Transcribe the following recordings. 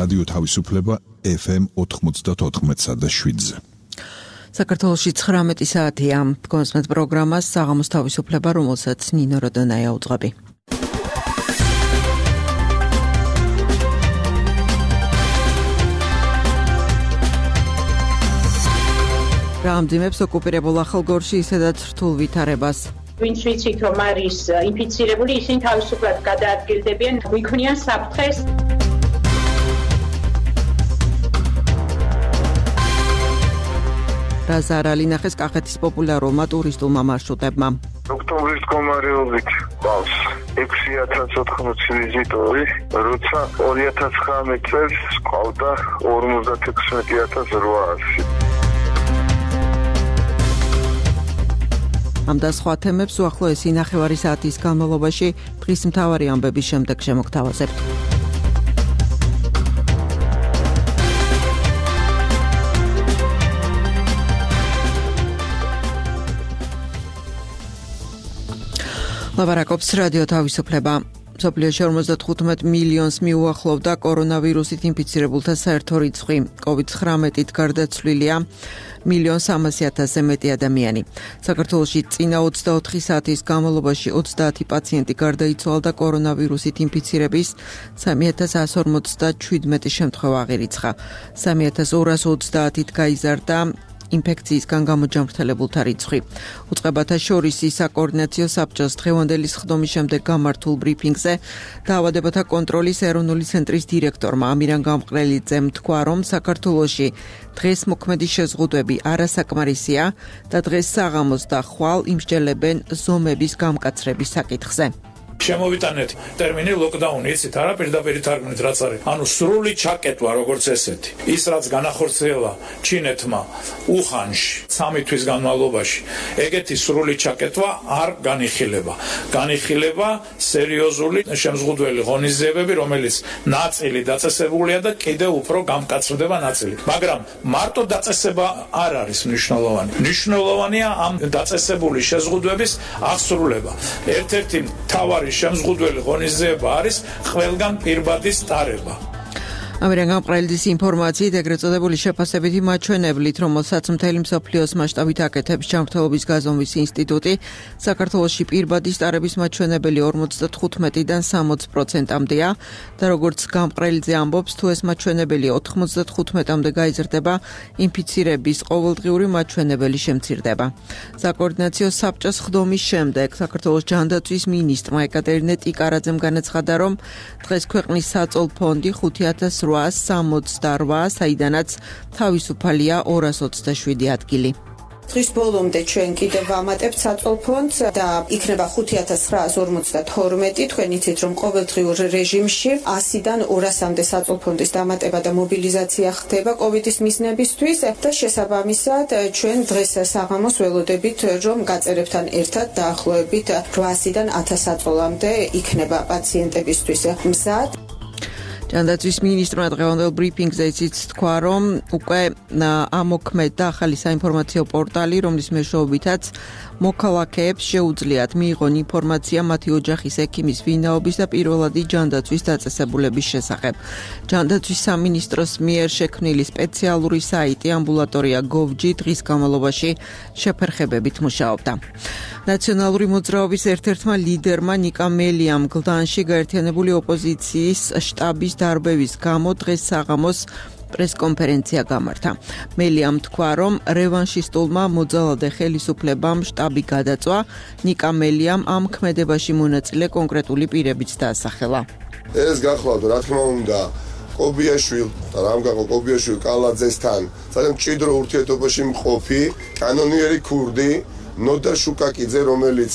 რადიო თავისუფლება FM 94.7-ზე. საქართველოში 19 საათია. კონსმეთ პროგრამას საღამოს თავისუფლება, რომელსაც ნინო როდონაია უძღვები. რა ამძიმებს ოკუპირებულ ახალგორში ისედაც რთულ ვითარებას. ვინც ვიცით, რომ არის ინფიცირებული, ისინი თავისუფლად გადაადგილდებიან, გვიქმნიან საფრთხეს. რა ზარალი ნახეს კახეთის პოპულარულმა ტურისტულმა მარშრუტებმა. ოქტომბრის მდგომარეობით ყავს 6080 ვიზიტორი, როცა 2019 წელს ყავდა 56800. ამ და სხვა თემებს უახლოესი ნახევარი საათის განმავლობაში დღის მთავარი ამბების შემდეგ შემოგთავაზებთ. ლაპარაკობს რადიო თავისუფლება. მსოფლიოში 55 მილიონს მიუახლოვდა კორონავირუსით ინფიცირებულთა საერთო რიცხვი. COVID-19-ით გარდაცვლილია 1.300.000-ზე მეტი ადამიანი. საქართველოში წინა 24 საათის განმავლობაში 30 პაციენტი გარდაიცვალა და კორონავირუსით ინფიცირების 3157 შემთხვევა აღირიცხა. 3230-ით გაიზარდა ინფექციისგან გამოჯამრთელებულთა რიცხვი. უწყებათა შორის საკოორდინაციო საბჭოს დღევანდელი სხდომის შემდეგ გამართულ ბრიფინგზე დაავადებათა კონტროლის ეროვნული ცენტრის დირექტორმა ამირან გამყრელიძემ თქვა, რომ საქართველოში დღეს მოქმედი შეზღუდვები არასაკმარისია და დღეს საღამოს და ხვალ იმსჯელებენ ზომების გამკაცრების საკითხზე. შემოვიტანეთ ტერმინი ლოკდაუნი, იცით, არა პირდაპირ თარგმნით რაც არის. ანუ სრული ჩაკეტვა როგორც ესეთი. ის რაც განახორციელა ჩინეთმა უხანში 3 თვის განმავლობაში, ეგეთი სრული ჩაკეტვა არ განიხილება. განიხილება სერიოზული შემზღუდველი ღონისძიებები, რომელიც ნაწილი დაწესებულია და კიდევ უფრო გამკაცრდება ნაწილი. მაგრამ მარტო დაწესება არ არის მნიშვნელოვანი. მნიშვნელოვანია ამ დაწესებული შეზღუდვების აღსრულება. ერთ-ერთი მთავარი შემზღუდველი ღონისძიება არის ყველგან პირბადის ტარება. ამირან გამყრელიძის ინფორმაციით ეგრეთ წოდებული შეფასებითი მაჩვენებლით, რომელსაც მთელი მსოფლიოს მასშტაბით აკეთებს ჯანმრთელობის გაზომვის ინსტიტუტი, საქართველოში პირბადის ტარების მაჩვენებელი 55-დან 60%-მდეა და როგორც გამყრელიძე ამბობს, თუ ეს მაჩვენებელი 95-მდე გაიზრდება, ინფიცირების ყოველდღიური მაჩვენებელი შემცირდება. საკოორდინაციო საბჭოს სხდომის შემდეგ საქართველოს ჯანდაცვის მინისტრმა ეკატერინე ტიკარაძემ განაცხადა, რომ დღეს ქვეყნის საწოლ ფონდი 5868, საიდანაც თავისუფალია 227 ადგილი. დღის ბოლომდე ჩვენ კიდევ ვამატებთ საწოლ ფონდს და იქნება 5942. თქვენ იცით, რომ ყოველდღიურ რეჟიმში 100-დან 200-მდე საწოლ ფონდის დამატება და მობილიზაცია ხდება კოვიდის მიზნებისთვის და შესაბამისად ჩვენ დღეს საღამოს ველოდებით, რომ გაწერებთან ერთად დაახლოებით 800-დან 1000 საწოლამდე იქნება პაციენტებისთვის მზად. ჯანდაცვის მინისტრმა დღევანდელ ბრიფინგზე ისიც თქვა, რომ უკვე ამოქმედდა ახალი საინფორმაციო პორტალი, რომლის მეშვეობითაც მოქალაქეებს შეუძლიათ მიიღონ ინფორმაცია მათი ოჯახის ექიმის ვინაობის და პირველადი ჯანდაცვის დაწესებულების შესახებ. ჯანდაცვის სამინისტროს მიერ შექმნილი სპეციალური საიტი ამბულატორია gov.g დღის განმავლობაში შეფერხებებით მუშაობდა. ნაციონალური მოძრაობის ერთ-ერთმა ლიდერმა ნიკა მელიამ გლდანში გაერთიანებული ოპოზიციის შტაბის დარბევის გამო დღეს საღამოს პრესკონფერენცია გამართა. მელიამ თქვა, რომ რევანშისტულმა მოძალადე ხელისუფლებამ შტაბი გადაწვა. ნიკა მელიამ ამ ქმედებაში მონაწილე კონკრეტული პირებიც დაასახელა. ეს გახლავთ, რა თქმა უნდა, კობიაშვილ და რამგაღო კობიაშვილ კალაძესთან ძალიან მჭიდრო ურთიერთობაში მყოფი კანონიერი ქურდი ნოდა შუკაკიძე, რომელიც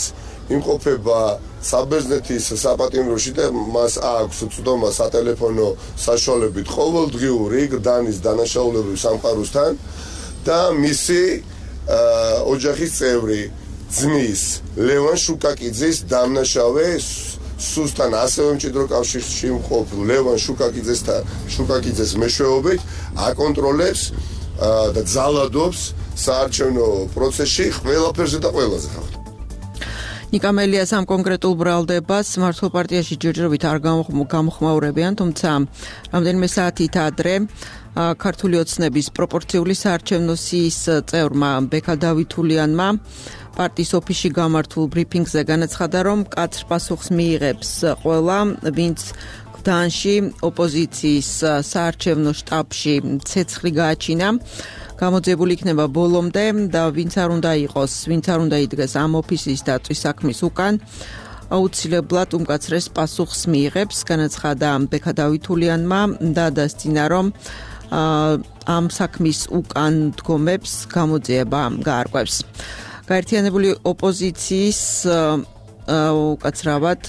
იმყოფება საბერძნეთის საპატიმროში და მას აქვს უწვდომა სატელეფონო საშუალებით ყოველდღიური გდანის დანაშაულებრივ სამყაროსთან და მისი ოჯახის წევრი ძმის ლევან შუკაკიძის დამნაშავე სუსთან ასევე მჭიდრო კავშირში მყოფ ლევან შუკაკიძეს მეშვეობით აკონტროლებს და ძალადობს საარჩევნო პროცესში ყველაფერზე და ყველაზე ხალხ. ნიკამელიას ამ კონკრეტულ ბრალდებას მართლ პარტიაში ჯერჯერობით არ გამოხმაურებიან, თუმცა რამდენიმე საათით ადრე ქართული ოცნების პროპორციული საარჩევნო სიის წევრმა ბექა დავითულიანმა პარტიის ოფისში გამართულ ბრიფინგზე განაცხადა, რომ მკაცრ პასუხს მიიღებს ყველა, ვინც გდანში ოპოზიციის საარჩევნო შტაბში ცეცხლი გააჩინა, გამოძიებული იქნება ბოლომდე და ვინც არ უნდა იყოს, ვინც არ უნდა იდგეს ამ ოფისის დაწვის საქმის უკან, აუცილებლად უმკაცრეს პასუხს მიიღებს, განაცხადა ბექა დავითულიანმა და დასძინა, რომ ამ საქმის უკან დგომებს გამოძიება გაარკვევს. გაერთიანებული ოპოზიციის უკაცრავად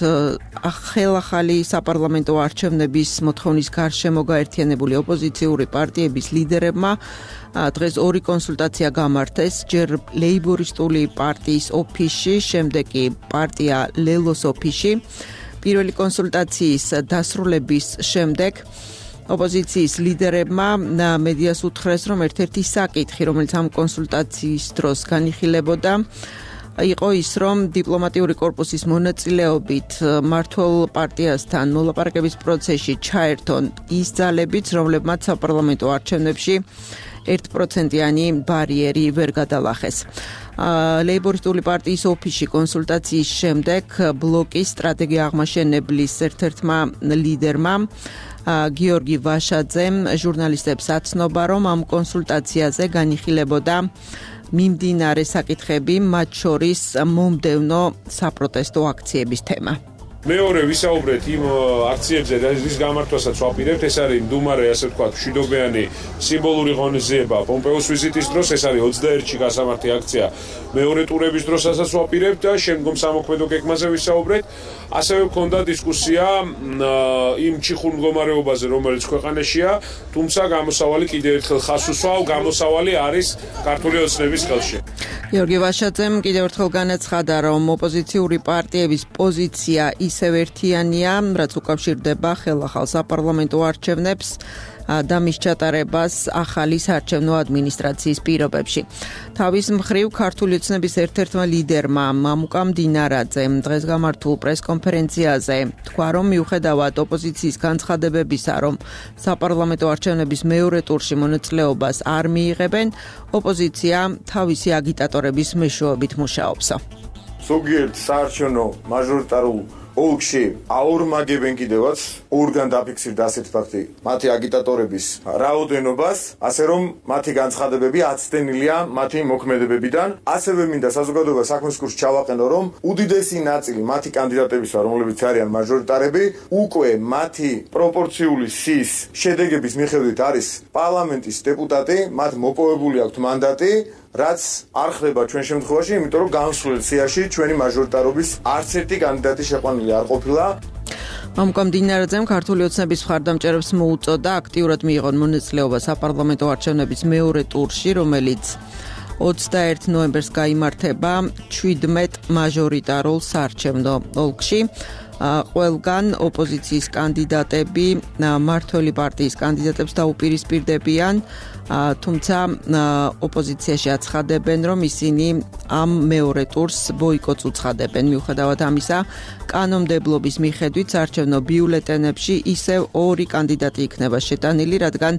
ხელახალი საპარლამენტო არჩევნების მოთხოვნის გარშემო გაერთიანებული ოპოზიციური პარტიების ლიდერებმა დღეს ორი კონსულტაცია გამართეს, ჯერ ლეიბორისტული პარტიის ოფისში, შემდეგ კი პარტია ლელოს ოფისში. პირველი კონსულტაციის დასრულების შემდეგ ოპოზიციის ლიდერებმა მედიას უთხრეს, რომ ერთ-ერთი საკითხი, რომელიც ამ კონსულტაციის დროს განიხილებოდა, იყო ის, რომ დიპლომატიური კორპუსის მონაწილეობით მართლ პარტიასთან მოლაპარაკების პროცესში ჩაერთონ ის ძალებიც, რომლებმაც საპარლამენტო არჩევნებში 1%-იანი ბარიერი ვერ გადალახეს. ლეიბორისტული პარტიის ოფისში კონსულტაციის შემდეგ ბლოკის სტრატეგია აღმაშენებლის ერთ-ერთმა ლიდერმა გიორგი ვაშაძემ ჟურნალისტებს აცნობა, რომ ამ კონსულტაციაზე განიხილებოდა მიმდინარე საკითხები, მათ შორის მომდევნო საპროტესტო აქციების თემა. მეორე ვისაუბრეთ იმ აქციებზე, რის გამართვასაც ვაპირებთ, ეს არის მდუმარე, ასე ვთქვათ, მშვიდობიანი სიმბოლური ღონისძიება პომპეოს ვიზიტის დროს, ეს არის 21-ში გასამართი აქცია მეორე ტურების დროსაც ვაპირებთ და შემდგომ სამოქმედო გეგმაზე ვისაუბრეთ. ასევე ვქონდა დისკუსია იმ ჩიხურ მდგომარეობაზე, რომელიც ქვეყანაშია, თუმცა გამოსავალი კიდევ ერთხელ ხაზს უსვავ, გამოსავალი არის ქართული ოცნების ხელში. გიორგი ვაშაძემ კიდევ ერთხელ განაცხადა, რომ ოპოზიციური პარტიების პოზიცია ისევ ერთიანია, რაც უკავშირდება ხელახალ საპარლამენტო არჩევნებს და მის ჩატარებას ახალი საარჩევნო ადმინისტრაციის პირობებში. თავის მხრივ ქართული ოცნების ერთ-ერთმა ლიდერმა მამუკა მდინარაძემ დღეს გამართულ პრესკონფერენციაზე თქვა, რომ მიუხედავად ოპოზიციის განცხადებებისა, რომ საპარლამენტო არჩევნების მეორე ტურში მონაწილეობას არ მიიღებენ, ოპოზიცია თავისი აგიტატორების მეშვეობით მუშაობს. ზოგიერთ საარჩევნო მაჟორიტარულ ოლქში აორმაგებენ კიდევაც ორგან დაფიქსირდა ასეთ ფაქტი მათი აგიტატორების რაოდენობას, ასე რომ მათი განცხადებები აცდენილია მათი მოქმედებებიდან. ასევე მინდა საზოგადოება საქმის კურსს ჩავაყენო, რომ უდიდესი ნაწილი მათი კანდიდატებისა, რომლებიც არიან მაჟორიტარები, უკვე მათი პროპორციული სიის შედეგების მიხედვით არის პარლამენტის დეპუტატი, მათ მოპოვებული აქვთ მანდატი, რაც არ ხდება ჩვენ შემთხვევაში, იმიტომ რომ განსვლელ სიაში ჩვენი მაჟორიტარობის არც ერთი კანდიდატი შეყვანილი არ ყოფილა. მამუკა მდინარაძემ ქართული ოცნების მხარდამჭერებს მოუწოდა აქტიურად მიიღონ მონაწილეობა საპარლამენტო არჩევნების მეორე ტურში, რომელიც 21 ნოემბერს გაიმართება 17 მაჟორიტარულ საარჩევნო ოლქში. ყველგან ოპოზიციის კანდიდატები მართველი პარტიის კანდიდატებს დაუპირისპირდებიან, თუმცა ოპოზიციაში აცხადებენ, რომ ისინი ამ მეორე ტურს ბოიკოტს უცხადებენ. მიუხედავად ამისა, კანონმდებლობის მიხედვით საარჩევნო ბიულეტენებში ისევ ორი კანდიდატი იქნება შეტანილი, რადგან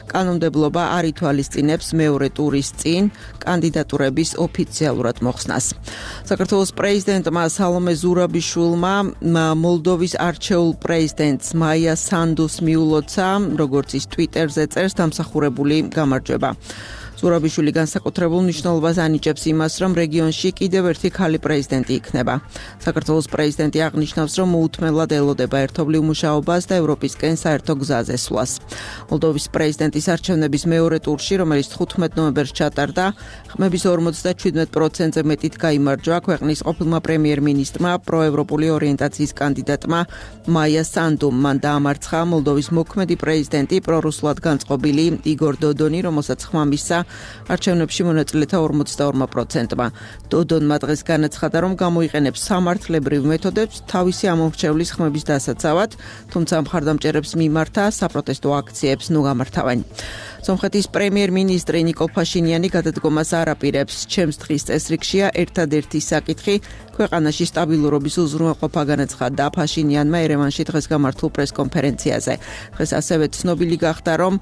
კანონმდებლობა არ ითვალისწინებს მეორე ტურის წინ კანდიდატურების ოფიციალურად მოხსნას. საქართველოს პრეზიდენტმა სალომე ზურაბიშვილმა მოლდოვის არჩეულ პრეზიდენტს მაია სანდუს მიულოცა, როგორც ის ტვიტერზე წერს, დამსახურებული გამარჯვება. ზურაბიშვილი განსაკუთრებულ მნიშვნელობას ანიჭებს იმას, რომ რეგიონში კიდევ ერთი ქალი პრეზიდენტი იქნება. საქართველოს პრეზიდენტი აღნიშნავს, რომ მოუთმენლად ელოდება ერთობლივ მუშაობას და ევროპისკენ საერთო გზაზე სვლას. მოლდოვის პრეზიდენტის არჩევნების მეორე ტურში, რომელიც 15 ნოემბერს ჩატარდა, ხმების 57%-ზე მეტით გაიმარჯვა ქვეყნის ყოფილმა პრემიერ-მინისტრმა, პროევროპული ორიენტაციის კანდიდატმა მაია სანდუმ. მან დაამარცხა მოლდოვის მოქმედი პრეზიდენტი პრორუსულად განწყობილი იგორ დოდონი, რომელსაც ხმა მისცა არჩევნებში მონაწილეთა 42%-მა. დოდონმა დღეს განაცხადა, რომ გამოიყენებს სამართლებრივ მეთოდებს თავისი ამომრჩევლის ხმების დასაცავად, თუმცა მხარდამჭერებს მიმართა საპროტესტო აქციებს ნუ გამართავენ. სომხეთის პრემიერ-მინისტრი ნიკოლ ფაშინიანი გადადგომას არ აპირებს. ჩემს დღის წესრიგშია ერთადერთი საკითხი ქვეყანაში სტაბილურობის უზრუნველყოფა განაცხადა ფაშინიანმა ერევანში დღეს გამართულ პრესკონფერენციაზე. დღეს ასევე ცნობილი გახდა, რომ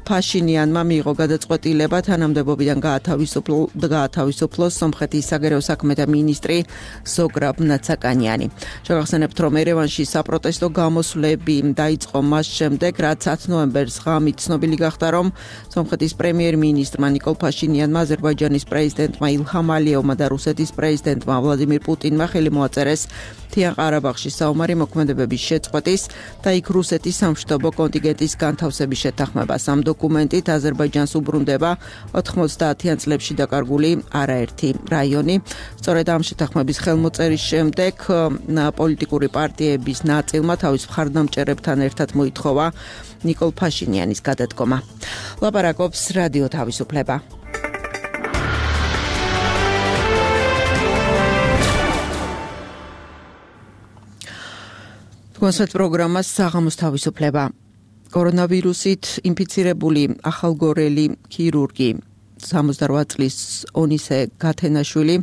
ფაშინიანმა მიიღო გადაწყვეტილება თანამდებობიდან გაათავისუფლოს სომხეთის საგარეო საქმეთა მინისტრი ზოგრაბ ნაცაკანიანი. შევახსენებთ, რომ ერევანში საპროტესტო გამოსვლები დაიწყო მას შემდეგ, რაც 10 ნოემბერს ღამით ცნობილი გახდა, რომ სომხეთის პრემიერ-მინისტრმა ნიკოლ ფაშინიანმა აზერბაიჯანის პრეზიდენტმა ილჰამ ალიევმა და რუსეთის პრეზიდენტმა ვლადიმირ პუტინმა ხელი მოაწერეს მთიან ყარაბაღში საომარი მოქმედებების შეწყვეტის და იქ რუსეთის სამშვიდობო კონტინგენტის განთავსების შეთანხმებას. ამ დოკუმენტით აზერბაიჯანს უბრუნდება 90-იან წლებში დაკარგული არაერთი რაიონი. სწორედ ამ შეთანხმების ხელმოწერის შემდეგ პოლიტიკური პარტიების ნაწილმა თავის მხარდამჭერებთან ერთად მოითხოვა ნიკოლ ფაშინიანის გადადგომა. ლაპარაკობს რადიო თავისუფლება. კონსერტ პროგრამას საღამოს თავისუფლება. კორონავირუსით ინფიცირებული ახალგორელი ქირურგი 68 წლის ონისე გათენაშვილი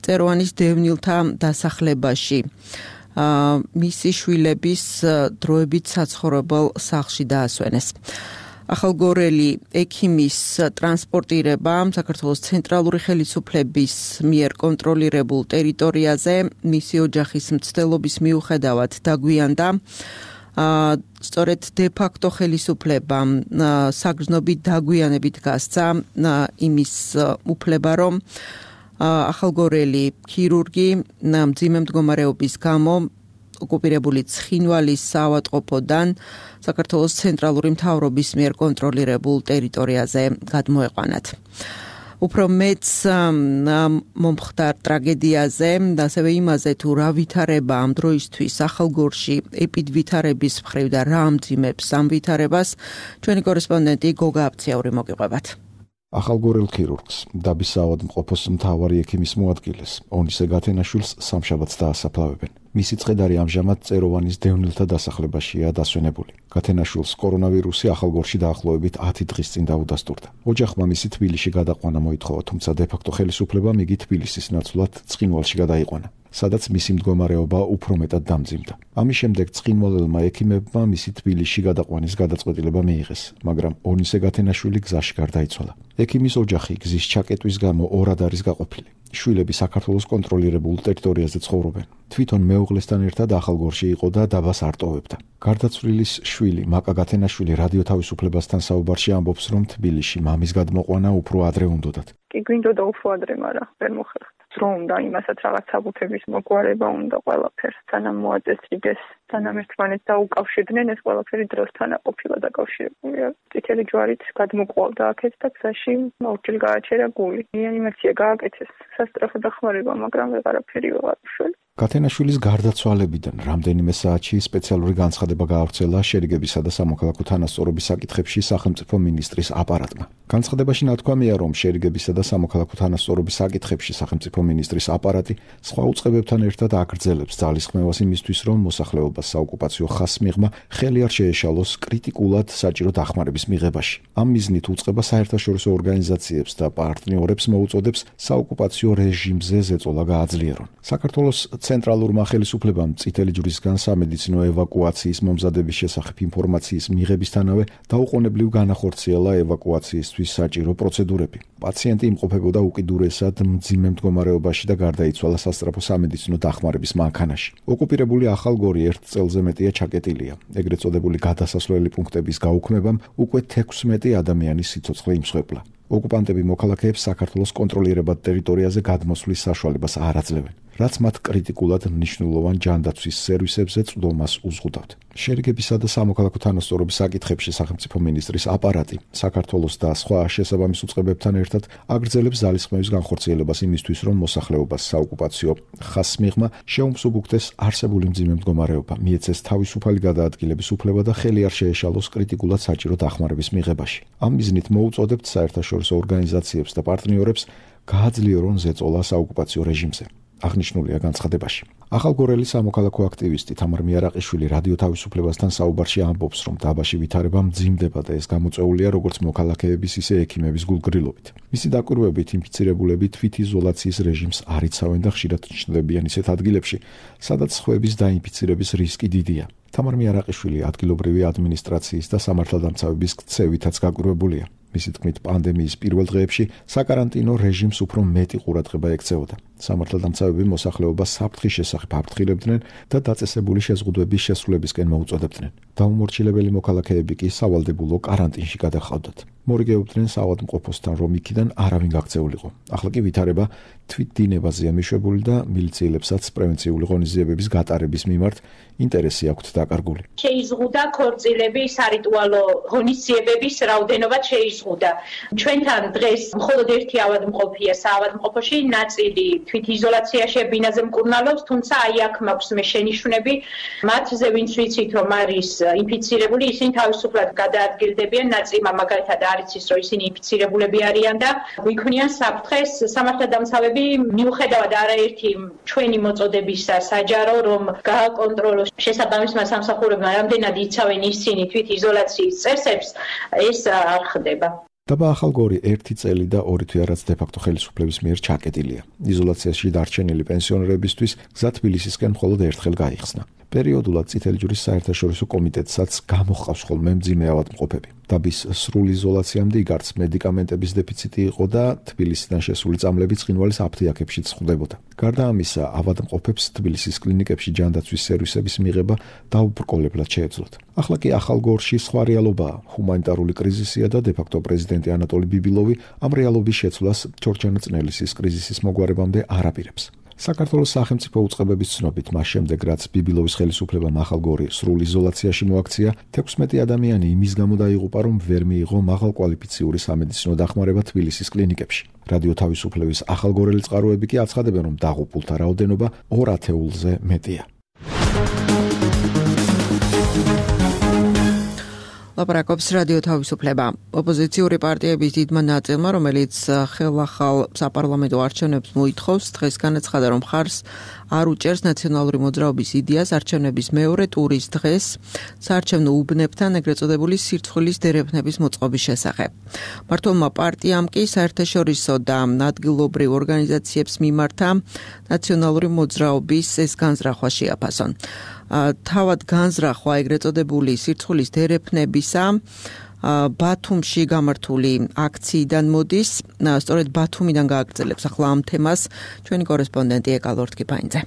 წეროვანის დევნილთა დასახლებაში მისი შვილების დროებით საცხოვრებელ სახლში დაასვენეს. ახალგორელი ექიმის ტრანსპორტირება საქართველოს ცენტრალური ხელისუფლების მიერ კონტროლირებულ ტერიტორიაზე მისი ოჯახის მცდელობის მიუხედავად დაგვიანდა. სწორედ დე-ფაქტო ხელისუფლებამ საგრძნობი დაგვიანებით გასცა იმის უფლება, რომ ახალგორელი ქირურგი მძიმე მდგომარეობის გამო ოკუპირებული ცხინვალის საავადმყოფოდან საქართველოს ცენტრალური მთავრობის მიერ კონტროლირებულ ტერიტორიაზე გადმოეყვანათ. უფრო მეც მომხდარ ტრაგედიაზე და ასევე იმაზე, თუ რა ვითარება ამ დროისთვის ახალგორში ეპიდვითარების მხრივ და რა ამძიმებს ამ ვითარებას, ჩვენი კორესპონდენტი გოგა აფციაური მოგიყვებათ. ახალგორელ ქირურგს, დაბის საავადმყოფოს მთავარი ექიმის მოადგილეს, ონისე გათენაშვილს სამშაბათს დაასაფლავებენ. მისი წხედარი ამჟამად წეროვანის დევნილთა დასახლებაშია დასვენებული. გათენაშვილს კორონავირუსი ახალგორში დაახლოებით 10 დღის წინ დაუდასტურდა. ოჯახმა მისი თბილისში გადაყვანა მოითხოვა, თუმცა დე-ფაქტო ხელისუფლებამ იგი თბილისის ნაცვლად ცხინვალში გადაიყვანა, სადაც მისი მდგომარეობა უფრო მეტად დამძიმდა. ამის შემდეგ ცხინვალელმა ექიმებმა მისი თბილისში გადაყვანის გადაწყვეტილება მიიღეს, მაგრამ ონისე გათენაშვილი გზაში გარდაიცვალა. ექიმის ოჯახი გზის ჩაკეტვის გამო ორად არის გაყოფილი. შვილები საქართველოს კონტროლირებულ ტერიტორიაზე ცხოვრობენ. თვითონ მეუღლესთან ერთად ახალგორში იყო და დაბას არ ტოვებდა. გარდაცვლილის შვილი მაკა გათენაშვილი რადიო თავისუფლებასთან საუბარში ამბობს, რომ თბილისში მამის გადმოყვანა უფრო ადრე უნდოდათ. კი გვინდოდა უფრო ადრე, მაგრამ ვერ მოხერხდა. დრო უნდა იმასაც რაღაც საბუთების მოგვარება უნდა ყველაფერს, სანამ მოაწესრიგეს, სანამ ერთმანეთს დაუკავშირდნენ, ეს ყველაფერი დროსთან ყოფილა დაკავშირებულია. წითელი ჯვარით გადმოყვალდა აქეთ და გზაში ორჯერ გააჩერა გული. რეანიმაცია გააკეთეს, სასწრაფო დახმარება, მაგრამ ვეღარაფერი ვეღარ უშველა. გათენაშვილის გარდაცვალებიდან რამდენიმე საათში სპეციალური განცხადება გაავრცელა შერიგებისა და სამოქალაქო თანასწორობის საკითხებში სახელმწიფო მინისტრის აპარატმა. განცხადებაში ნათქვამია, რომ შერიგებისა და სამოქალაქო თანასწორობის საკითხებში სახელმწიფო მინისტრის აპარატი სხვა უწყებებთან ერთად აგრძელებს ძალისხმევას იმისთვის, რომ მოსახლეობას საოკუპაციო ხაზს მიღმა ხელი არ შეეშალოს კრიტიკულად საჭირო დახმარების მიღებაში. ამ მიზნით უწყება საერთაშორისო ორგანიზაციებს და პარტნიორებს მოუწოდებს საოკუპაციო რეჟიმზე ზეწოლა გააძლიერონ. საქართველოს ცენტრალურმა ხელისუფლებამ წითელი ჯვრისგან სამედიცინო ევაკუაციის მომზადების შესახებ ინფორმაციის მიღებისთანავე დაუყოვნებლივ განახორციელა ევაკუაციისთვის საჭირო პროცედურები. პაციენტი იმყოფებოდა უკიდურესად მძიმე მდგომარეობაში და გარდაიცვალა სასწრაფო სამედიცინო დახმარების მანქანაში. ოკუპირებული ახალგორი 1 წელზე მეტია ჩაკეტილია. ეგრეთ წოდებული გადასასვლელი პუნქტების გაუქმებამ უკვე 16 ადამიანის სიცოცხლე იმსხვერპლა. ოკუპანტები მოქალაქეებს საქართველოს კონტროლირებად ტერიტორიაზე გადმოსვლის საშუალებას არ აძლევენ, რაც მათ კრიტიკულად მნიშვნელოვან ჯანდაცვის სერვისებზე წვდომას უზღუდავთ. შერიგებისა და სამოქალაქო თანასწორობის საკითხებში სახელმწიფო მინისტრის აპარატი საქართველოს და სხვა შესაბამის უწყებებთან ერთად აგრძელებს ძალისხმევის განხორციელებას იმისთვის, რომ მოსახლეობას საოკუპაციო ხაზს მიღმა შეუმსუბუქდეს არსებული მძიმე მდგომარეობა, მიეცეს თავისუფალი გადაადგილების უფლება და ხელი არ შეეშალოს კრიტიკულად საჭირო დახმარების მიღებაში. ამ მიზნით მოუწოდებთ საერთაშორისო ორგანიზაციებს და პარტნიორებს გააძლიერონ ზეწოლა საოკუპაციო რეჟიმზე. აღნიშნულია განცხადებაში. ახალგორელი სამოქალაქო აქტივისტი თამარ მიარაყიშვილი რადიო თავისუფლებასთან საუბარში ამბობს, რომ დაბაში ვითარება მძიმდება და ეს გამოწვეულია როგორც მოქალაქეების, ისე ექიმების გულგრილობით. მისი დაკვირვებით ინფიცირებულები თვითიზოლაციის რეჟიმს არ იცავენ და ხშირად ჩნდებიან ისეთ ადგილებში, სადაც სხვების დაინფიცირების რისკი დიდია. თამარ მიარაყიშვილი ადგილობრივი ადმინისტრაციის და სამართალდამცავების ქცევითაც გაკვირვებულია. მისი თქმით, პანდემიის პირველ დღეებში საკარანტინო რეჟიმს უფრო მეტი ყურადღება ექცეოდა. სამართალდამცავები მოსახლეობას საფრთხის შესახებ აფრთხილებდნენ და დაწესებული შეზღუდვების შესრულებისკენ მოუწოდებდნენ. დაუმორჩილებელი მოქალაქეები კი სავალდებულო კარანტინში გადახავდათ. მორიგეობდნენ საავადმყოფოსთან, რომ იქიდან არავინ გაქცეულიყო. ახლა კი ვითარება თვითდინებაზეა მიშვებული და მილიციელებსაც პრევენციული ღონისძიებების გატარების მიმართ ინტერესი აქვთ დაკარგული. შეიზღუდა ქორწილები, სარიტუალო ღონისძიებების რაოდენობა შეიზღუდა. ჩვენთან დღეს მხოლოდ ერთი ავადმყოფია საავადმყოფოში, ნაწილი თვითიზოლაციაში ბინაზე მკურნალობს, თუმცა აი აქ მაქვს მე შენიშვნები, მათზე ვინც ვიცით რომ არის ინფიცირებული, ისინი თავისუფლად გადაადგილდებიან, ნაწილმა მაგალითად არ იცის რომ ისინი ინფიცირებულები არიან და გვიქმნიან საფრთხეს. სამართალდამცავები მიუხედავად არაერთი ჩვენი მოწოდებისა საჯარო რომ გააკონტროლოს შესაბამისმა სამსახურებმა რამდენად იცავენ ისინი თვითიზოლაციის წესებს, ეს არ ხდება. დაბა ახალგორი 1 წელი და 2 თვე რაც დე-ფაქტო ხელისუფლების მიერ ჩაკეტილია. იზოლაციაში დარჩენილი პენსიონერებისთვის გზა თბილისისკენ მხოლოდ ერთხელ გაიხსნა. პერიოდულად წითელი ჯვრის საერთაშორისო კომიტეტსაც გამოჰყავს ხოლმე მძიმე ავადმყოფები. დაბის სრულ იზოლაციამდე იგარც მედიკამენტების დეფიციტი იყო და თბილისიდან შესული წამლები ცხინვალის აფთიაქებშიც ხვდებოდა. გარდა ამისა, ავადმყოფებს თბილისის კლინიკებში ჯანდაცვის სერვისების მიღება დაუბრკოლებლად შეეძლოთ. ახლა კი ახალგორში სხვა რეალობაა. ჰუმანიტარული კრიზისია და დე-ფაქტო პრეზიდენტი ანატოლი ბიბილოვი ამ რეალობის შეცვლას ჯორჯანა წნელისის კრიზისის მოგვარებამდე არ აპირებს. საქართველოს სახელმწიფო უწყებების ცნობით, მას შემდეგ რაც ბიბილოვის ხელისუფლებამ ახალგორი სრულ იზოლაციაში მოაქცია, 16 ადამიანი იმის გამო დაიღუპა, რომ ვერ მიიღო მაღალკვალიფიციური სამედიცინო დახმარება თბილისის კლინიკებში. რადიო თავისუფლების ახალგორელი წყაროები კი აცხადებენ, რომ დაღუპულთა რაოდენობა 2 ათეულზე მეტია. ლაპარაკობს რადიო თავისუფლება. ოპოზიციური პარტიების დიდმა ნაწილმა, რომელიც ხელახალ საპარლამენტო არჩევნებს მოითხოვს, დღეს განაცხადა, რომ მხარს არ უჭერს ნაციონალური მოძრაობის იდეას არჩევნების მეორე ტურის დღეს საარჩევნო უბნებთან ეგრეთ წოდებული სირცხვილის დერეფნების მოწყობის შესახებ. მმართველმა პარტიამ კი საერთაშორისო და ადგილობრივ ორგანიზაციებს მიმართა ნაციონალური მოძრაობის ეს განზრახვა შეაფასონ. თავად განზრახვა ეგრეთ წოდებული სირცხვილის დერეფნებისა ბათუმში გამართული აქციიდან მოდის, სწორედ ბათუმიდან გააგრძელებს ახლა ამ თემას ჩვენი კორესპონდენტი ეკალორთ კიფაინძე.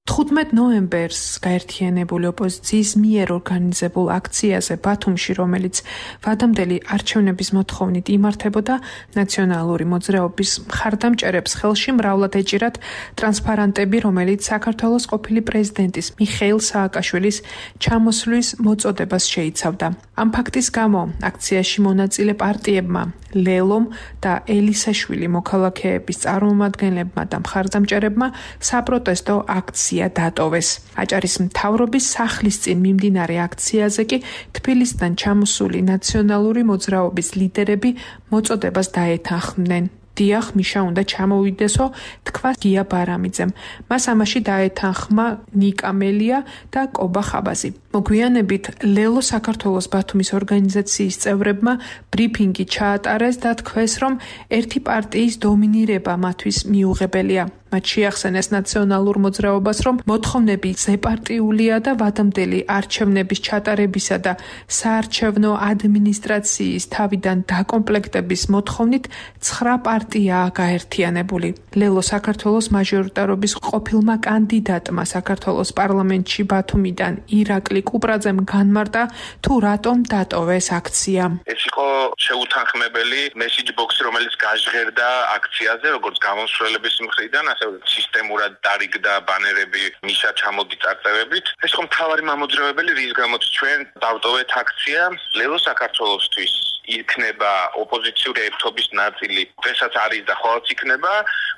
15 ნოემბერს გაერთიანებული ოპოზიციის მიერ ორგანიზებულ აქციაზე ბათუმში, რომელიც ვადამდელი არჩევნების მოთხოვნით იმართებოდა, ნაციონალური მოძრაობის მხარდამჭერებს ხელში მრავლად ეჭირათ ტრანსპარანტები, რომელიც საქართველოს ყოფილი პრეზიდენტის მიხეილ სააკაშვილის ჩამოსვლის მოწოდებას შეიცავდა. ამ ფაქტის გამო აქციაში მონაწილე პარტიებმა ლელომ და ელისაშვილი მოქალაქეების წარმომადგენლებმა და მხარდამჭერებმა საპროტესტო აქცია დატოვეს. აჭარის მთავრობის სახლის წინ მიმდინარე აქციაზე კი თბილისიდან ჩამოსული ნაციონალური მოძრაობის ლიდერები მოწოდებას დაეთანხმდნენ. დიახ, მიშა უნდა ჩამოვიდესო, თქვა გია ბარამიძემ. მას ამაში დაეთანხმა ნიკა მელია და კობა ხაბაზი. მოგვიანებით ლელო საქართველოს ბათუმის ორგანიზაციის წევრებმა ბრიფინგი ჩაატარეს და თქვეს, რომ ერთი პარტიის დომინირება მათთვის მიუღებელია. მათ შეახსენეს ნაციონალურ მოძრაობას, რომ მოთხოვნები ზეპარტიულია და ვადამდელი არჩევნების ჩატარებისა და საარჩევნო ადმინისტრაციის თავიდან დაკომპლექტების მოთხოვნით 9 პარტიაა გაერთიანებული. ლელო საქართველოს მაჟორიტარობის ყოფილმა კანდიდატმა საქართველოს პარლამენტში ბათუმიდან ირაკლი კუპრაძემ განმარტა, თუ რატომ დატოვეს აქცია. ეს იყო შეუთანხმებელი მესიჯ ბოქსი, რომელიც გაჟღერდა აქციაზე, როგორც გამოსვლელების მხრიდან, ასე სისტემურად დარიგდა ბანერები მიშა ჩამოდი წარწერებით. ეს იყო მთავარი მამოძრავებელი, რის გამოც ჩვენ დავტოვეთ აქცია ლელო საქართველოსთვის. იქნება ოპოზიციური ერთობის ნაწილი, დღესაც არის და ხოლმე იქნება,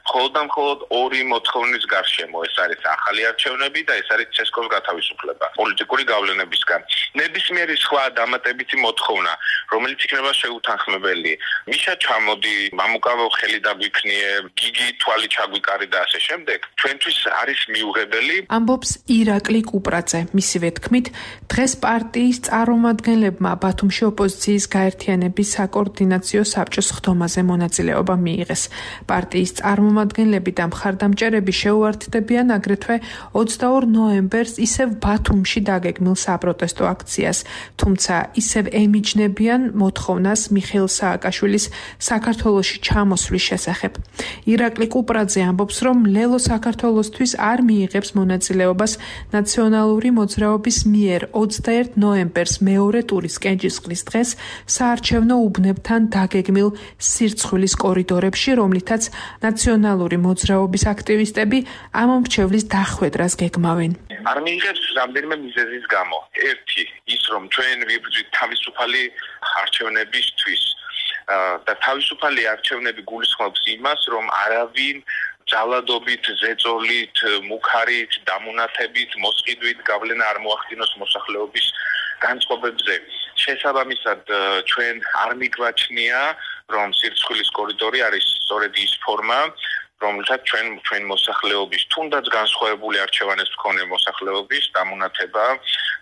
მხოლოდ და მხოლოდ ორი მოთხოვნის გარშემო. ეს არის ახალი არჩევნები და ეს არის ცესკოს გათავისუფლება პოლიტიკური გავლენებისგან. ნებისმიერი სხვა დამატებითი მოთხოვნა, რომელიც იქნება შეუთანხმებელი. მიშა ჩამოდი, მამუკავო ხელი დაგვიქნიე, გიგი თვალი ჩაგვიკარი და ასე შემდეგ. ჩვენთვის არის მიუღებელი. ამბობს ირაკლი კუპრაძე. მისივე თქმით, დღეს პარტიის წარმომადგენლებმა ბათუმში ოპოზიციის გაერთიანების საკოორდინაციო საბჭოს ხდომაზე მონაწილეობა მიიღეს. პარტიის წარმომადგენლები და მხარდამჭერები შეუერთდებიან აგრეთვე 22 ნოემბერს ისევ ბათუმში დაგეგმილ საპროტესტო აქციას, თუმცა ისევ ემიჯნებიან მოთხოვნას მიხეილ სააკაშვილის საქართველოში ჩამოსვლის შესახებ. ირაკლი კუპრაძე ამბობს, რომ ლელო საქართველოსთვის არ მიიღებს მონაწილეობას ნაციონალური მოძრაობის მიერ 21 ნოემბერს მეორე ტურის კენჭისყრის დღეს საარჩევნო უბნებთან დაგეგმილ სირცხვილის კორიდორებში, რომლითაც ნაციონალური მოძრაობის აქტივისტები ამ მრჩევლის დახვედრას გეგმავენ. არ მიიღებს რამდენიმე მიზეზის გამო. ერთი, ის რომ ჩვენ ვიბრძვით თავისუფალი არჩევნებისთვის და თავისუფალი არჩევნები გულისხმობს იმას, რომ არავინ ძალადობით, ზეწოლით, მუქარით, დამონათებით, მოსყიდვით გავლენა არ მოახდინოს მოსახლეობის განწყობებზე. შესაბამისად, ჩვენ არ მიგვაჩნია, რომ სირცხვილის კორიდორი არის სწორედ ის ფორმა, რომელსაც ჩვენ მოსახლეობის, თუნდაც განსხვავებული არჩევანებს მქონე მოსახლეობის დამონათება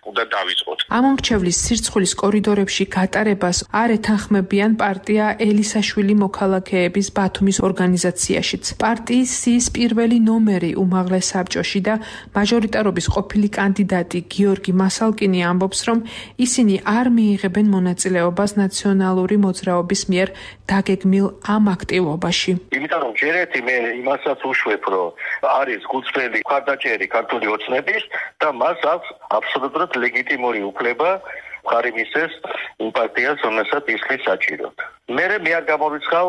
უნდა დავიწყოთ. ამ მრჩევლის სირცხვილის კორიდორებში გატარებას არ ეთანხმებიან პარტია ელისაშვილი მოქალაქეების ბათუმის ორგანიზაციაშიც. პარტიის სიის პირველი ნომერი უმაღლეს საბჭოში და მაჟორიტარობის ყოფილი კანდიდატი გიორგი მასალკინი ამბობს, რომ ისინი არ მიიღებენ მონაწილეობას ნაციონალური მოძრაობის მიერ დაგეგმილ ამ აქტივობაში. იმიტომ რომ ჯერეთი მე იმასაც უშვებ, რომ არის გულწრფელი მხარდაჭერი ქართული ოცნების და მას აქვს აბსოლუტურად ლეგიტიმური უფლება მხარი მისცეს იმ პარტიას, რომელსაც ისხის საჭიროდ. მე არ გამორიცხავ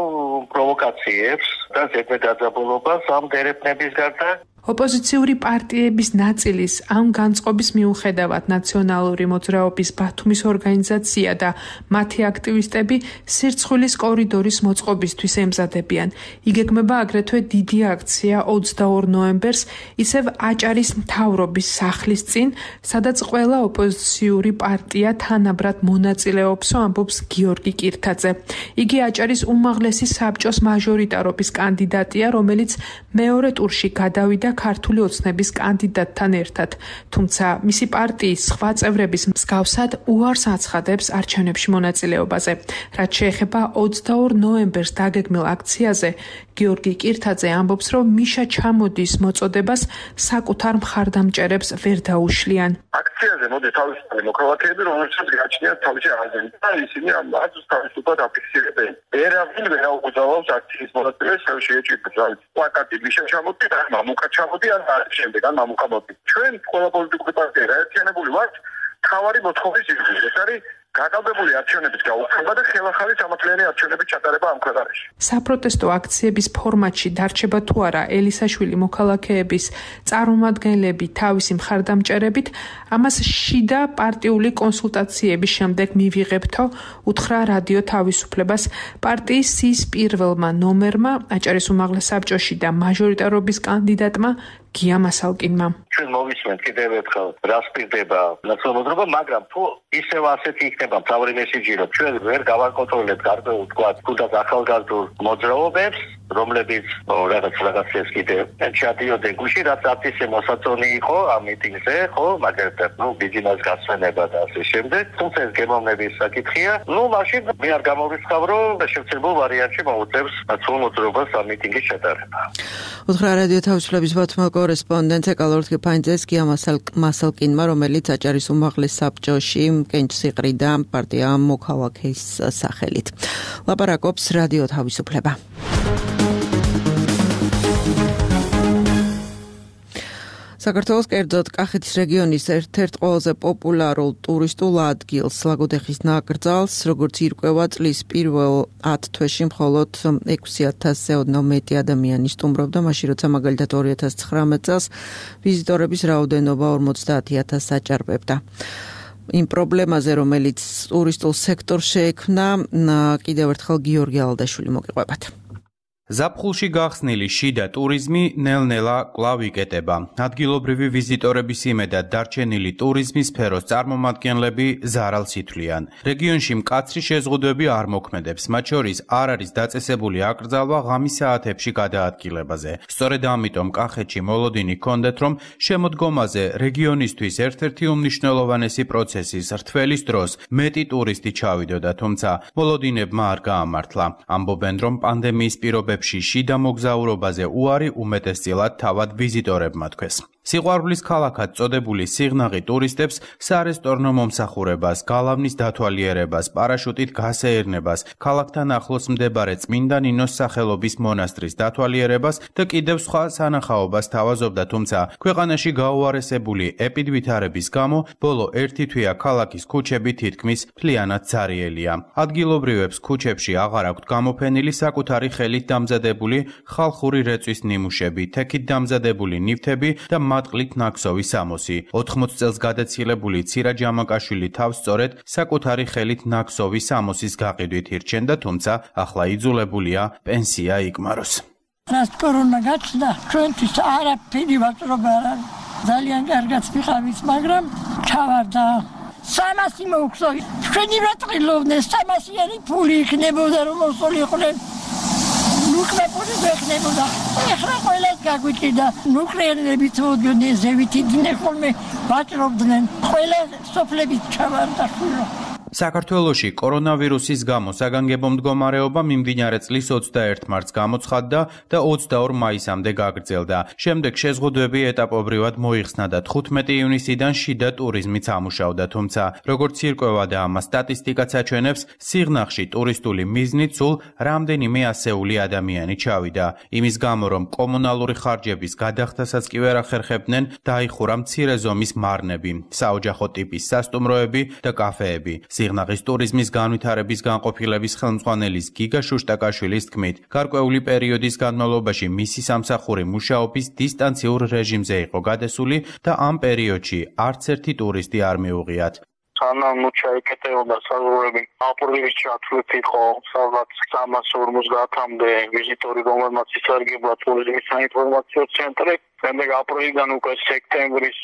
პროვოკაციებს და ზედმეტაძაბულობას ამ დერეფნების გარდა. ოპოზიციური პარტიების ნაწილის ამ განწყობის მიუხედავად ნაციონალური მოძრაობის ბათუმის ორგანიზაცია და მათი აქტივისტები სირცხვილის კორიდორის მოწყობისთვის ემზადებიან. იგეგმება აგრეთვე დიდი აქცია 22 ნოემბერს ისევ აჭარის მთავრობის სახლის წინ, სადაც ყველა ოპოზიციური პარტია თანაბრად მონაწილეობს, ამბობს გიორგი კირთაძე. იგი აჭარის უმაღლესი საბჭოს მაჟორიტარობის კანდიდატია, რომელიც მეორე ტურში გადავიდა ქართული ოცნების კანდიდატთან ერთად, თუმცა მისი პარტიის სხვა წევრების მსგავსად უარს აცხადებს არჩევნებში მონაწილეობაზე. რაც შეეხება 22 ნოემბერს დაგეგმილ აქციაზე, გიორგი კირთაძე ამბობს, რომ მიშა ჩამოდის მოწოდებას საკუთარ მხარდამჭერებს ვერ დაუშლიან. აქციაზე მოდი თავისუფალი მოქალაქეები, რომელსაც გააჩნიათ თავისი აზრი და ისინი ამ აზრს თავისუფლად აფიქსირებენ. ვერავინ ვერ აუგზავნებს აქციის მონაწილეს, შეეჭირებს პლაკატი მიშა ჩამოდი და მამუკა ჩამოდი ან შემდეგ ან მამუკა მოდი. ჩვენ ყველა პოლიტიკური პარტია ერთიანებული ვართ თავარი მოთხოვნის ირგვლივ. ეს არის გაკავებული არჩევნების გაუქმება და ხელახალი სამართლიანი არჩევნების ჩატარება ამ ქვეყანაში. საპროტესტო აქციების ფორმატში დარჩება თუ არა ელისაშვილი მოქალაქეების წარმომადგენლები თავისი მხარდამჭერებით, ამას შიდა პარტიული კონსულტაციების შემდეგ მივიღებთო, უთხრა რადიო თავისუფლებას პარტიის სიის პირველმა ნომერმა, აჭარის უმაღლეს საბჭოში და მაჟორიტარობის კანდიდატმა გია მასალკინმა. ჩვენ მოვისმენთ კიდევ ერთხელ, რას პირდება ნაციონალური მოძრაობა, მაგრამ თუ ისევ ასეთი იქნება მთავარი მესიჯი, რომ ჩვენ ვერ გავაკონტროლებთ გარკვეულ თქვათ, თუნდაც ახალგაზრდულ მოძრაობებს, რომლებიც რაღაცას კიდევ ჩადიოდნენ გუში, რაც ათისე მოსაწონი იყო ამ მიტინგზე, ხო, მაგალითად, ბიძინას გასვენება და ასე შემდეგ. თუმცა ეს გემოვნების საკითხია. მაშინ მე არ გამორიცხავ, რომ შევცებულ ვარიანტში მოუწევს ნაციონალურ მოძრაობას ამ მიტინგის ჩატარება. უთხრა რადიო თავისუფლების ბათუმის კორესპონდენტ ეკალორთკი ფაინძეს გია მასალკინმა, რომელიც აჭარის უმაღლეს საბჭოში კენჭსიყრიდა პარტია მოქალაქის სახელით. ლაპარაკობს რადიო თავისუფლება. საქართველოს კერძოდ კახეთის რეგიონის ერთ-ერთ ყველაზე პოპულარულ ტურისტულ ადგილს ლაგოდეხის ნაკრძალს, როგორც ირკვევა, წლის პირველ 10 თვეში მხოლოდ 6,000-ზე ოდნავ მეტი ადამიანი სტუმრობდა, მაშინ როცა მაგალითად 2019 წელს ვიზიტორების რაოდენობა 50,000-ს აჭარბებდა. იმ პრობლემაზე, რომელიც ტურისტულ სექტორს შეექმნა, კიდევ ერთხელ გიორგი ალდაშვილი მოგიყვებათ. ზაფხულში გახსნილი შიდა ტურიზმი ნელ-ნელა კვლავ იკეტება. ადგილობრივი ვიზიტორების იმედად დარჩენილი ტურიზმის სფეროს წარმომადგენლები ზარალს ითვლიან. რეგიონში მკაცრი შეზღუდვები არ მოქმედებს, მათ შორის არ არის დაწესებული აკრძალვა ღამის საათებში გადაადგილებაზე. სწორედ ამიტომ კახეთში მოლოდინი ჰქონდათ, რომ შემოდგომაზე რეგიონისთვის ერთ-ერთი უმნიშვნელოვანესი პროცესის რთველის დროს მეტი ტურისტი ჩავიდოდა, თუმცა მოლოდინებმა არ გაამართლა. ამბობენ, რომ პანდემიის პირობებში შიდა მოგზაურობაზე უარი უმეტესწილად თავად ვიზიტორებმა თქვეს. სიყვარულის ქალაქად წოდებული სიღნაღი ტურისტებს სარესტორნო მომსახურებას, გალავნის დათვალიერებას, პარაშუტით გასეირნებას, ქალაქთან ახლოს მდებარე წმინდა ნინოს სახელობის მონასტრის დათვალიერებას და კიდევ სხვა სანახაობას თავაზობდა, თუმცა ქვეყანაში გაუარესებული ეპიდვითარების გამო ბოლო ერთი თვეა ქალაქის ქუჩები თითქმის მთლიანად ძარიელია. ადგილობრივებს ქუჩებში აღარ აქვთ გამოფენილი საკუთარი ხელით დამზადებული ხალხური რეწვის ნიმუშები, თექით დამზადებული ნივთები და მატყლით ნაქსოვი სამოსი. 80 წელს გადაცილებული ცირა ჯამაკაშვილი თავს სწორედ საკუთარი ხელით ნაქსოვი სამოსის გაყიდვით ირჩენდა, თუმცა ახლა იძულებულია პენსია იკმაროს. რას კორონა გაჩნდა, ჩვენთვის არაფერი ვაჭრობა არ არის. ძალიან კარგად ვიყავით, მაგრამ ჩავარდა. 300 მოუხსო. ჩვენი რატყილობდნენ 300-იანი ფული იქნებოდა, რომ მოსულიყვნენ. ნუკლეპური ვეხნებოდა. ეხლა ყველას გაგვიჭირდა. ნუკლეერებით მოდიოდნენ, ზევით იდნენ ხოლმე, ვაჭრობდნენ. ყველა სოფლებით ჩავარდა შვილო. საქართველოში კორონავირუსის გამო საგანგებო მდგომარეობა მიმდინარე წლის 21 მარტს გამოცხადდა და 22 მაისამდე გაგრძელდა. შემდეგ შეზღუდვები ეტაპობრივად მოიხსნა და 15 ივნისიდან შიდა ტურიზმიც ამუშავდა, თუმცა როგორც ირკვევა და ამას სტატისტიკაც აჩვენებს, სიღნაღში ტურისტული მიზნით სულ რამდენიმე ასეული ადამიანი ჩავიდა. იმის გამო, რომ კომუნალური ხარჯების გადახდასაც კი ვერ ახერხებდნენ, დაიხურა მცირე ზომის მარნები, საოჯახო ტიპის სასტუმროები და კაფეები. სიღნაღის ტურიზმის განვითარების განყოფილების ხელმძღვანელის გიგა შუშტაკაშვილის თქმით, გარკვეული პერიოდის განმავლობაში მისი სამსახური მუშაობის დისტანციურ რეჟიმზე იყო გადასული და ამ პერიოდში არც ერთი ტურისტი არ მიუღიათ. სანამ ჩაიკეტებოდა საზღვრები, აპრილის ჩათვლით იყო სადღაც 350-მდე ვიზიტორი, რომელმაც ისარგებლა ტურიზმის საინფორმაციო ცენტრი. შემდეგ აპრილიდან უკვე სექტემბრის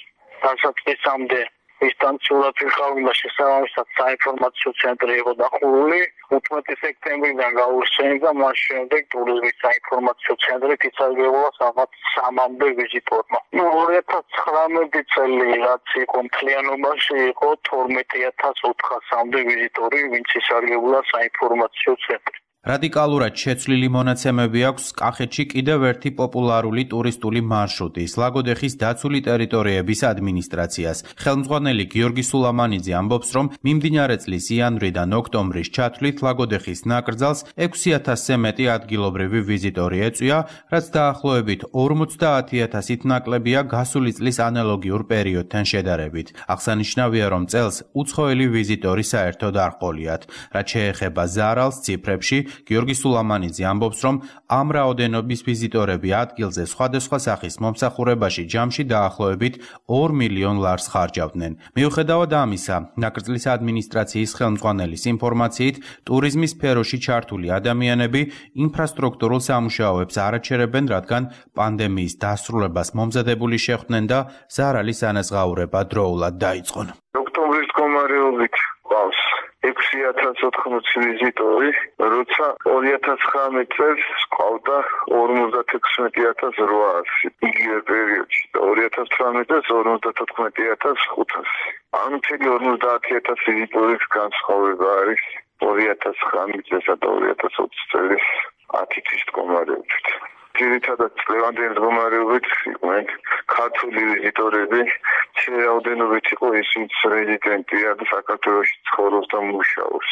დასაწყისამდე დისტანციურად ვიყავდა შესაბამისად საინფორმაციო ცენტრი იყო დახურული. 15 სექტემბრიდან გაურჩენდა, მას შემდეგ ტურიზმის საინფორმაციო ცენტრი ისარგებლა სადღაც 3-მდე ვიზიტორმა. 2019 წელი რაც იყო მთლიანობაში იყო 12400-მდე ვიზიტორი, ვინც ისარგებლა საინფორმაციო ცენტრი. რადიკალურად შეცვლილი მონაცემები აქვს კახეთში კიდევ ერთი პოპულარული ტურისტული მარშრუტი ლაგოდეხის დაცული ტერიტორიების ადმინისტრაციას. ხელმძღვანელი გიორგი სულამანიძე ამბობს, რომ მიმდინარე წლის იანვრიდან ოქტომბრის ჩათვლით ლაგოდეხის ნაკრძალს 6000-ზე მეტი ადგილობრივი ვიზიტორი ეწვია, რაც დაახლოებით 50000-ით ნაკლებია გასული წლის ანალოგიურ პერიოდთან შედარებით. აღსანიშნავია, რომ წელს უცხოელი ვიზიტორი საერთოდ არ ყოლიათ. რაც შეეხება ზარალს ციფრებში, გიორგი სულამანიძე ამბობს, რომ ამ რაოდენობის ვიზიტორები ადგილზე სხვადასხვა სახის მომსახურებაში ჯამში დაახლოებით 2 მილიონ ლარს ხარჯავდნენ. მიუხედავად ამისა, ნაკრძლის ადმინისტრაციის ხელმძღვანელის ინფორმაციით, ტურიზმის სფეროში ჩართული ადამიანები ინფრასტრუქტურულ სამუშაოებს არ აჩერებენ, რადგან პანდემიის დასრულებას მომზადებული შეხვდნენ და ზარალის ანაზღაურება დროულად დაიწყონ. ოქტომბრის მდგომარეობით ყავს 6080 ვიზიტორი, როცა 2019 წელს ყავდა 56800 იგივე პერიოდში და 2018 წელს 54500. ანუ მთელი 50000 ვიზიტორის განსხვავება არის 2019 წელსა და 2020 წლის 10 თვის მდგომარეობით. ძირითადად წლევანდელი მდგომარეობით იყვნენ ქართული ვიზიტორები, რაოდენობით იყო ისინიც რეზიდენტია და საქართველოში ცხოვრობს და მუშაობს.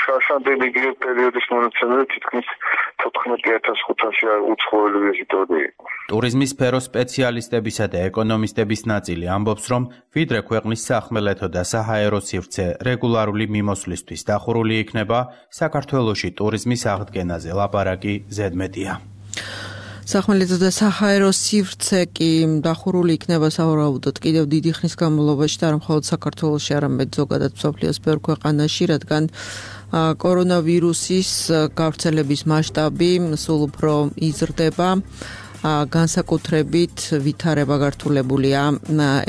შარშანდელი იგივე პერიოდის მონაცემები თითქმის 14500 უცხოელი ვიზიტორი იყო. ტურიზმის სფეროს სპეციალისტებისა და ეკონომისტების ნაწილი ამბობს, რომ ვიდრე ქვეყნის სახმელეთო და საჰაერო სივრცე რეგულარული მიმოსვლისთვის დახურული იქნება, საქართველოში ტურიზმის აღდგენაზე ლაპარაკი ზედმეტია. სახმელეთო და საჰაერო სივრცე კი დახურული იქნება სავარაუდოდ კიდევ დიდი ხნის განმავლობაში და არა მხოლოდ საქართველოში, არამედ ზოგადად მსოფლიოს ბევრ ქვეყანაში, რადგან კორონავირუსის გავრცელების მასშტაბი სულ უფრო იზრდება. განსაკუთრებით ვითარება გართულებულია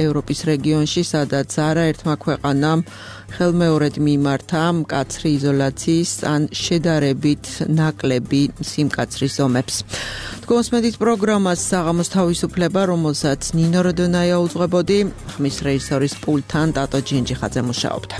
ევროპის რეგიონში, სადაც არაერთმა ქვეყანამ ხელმეორედ მიმართა მკაცრი იზოლაციის ან შედარებით ნაკლები სიმკაცრის ზომებს. თქვენს პროგრამას საღამოს თავისუფლება, რომელსაც ნინო როდონაია უძღვებოდი, ხმის რეჟისორის პულტთან ტატო ჯინჯიხაძე მუშაობდა.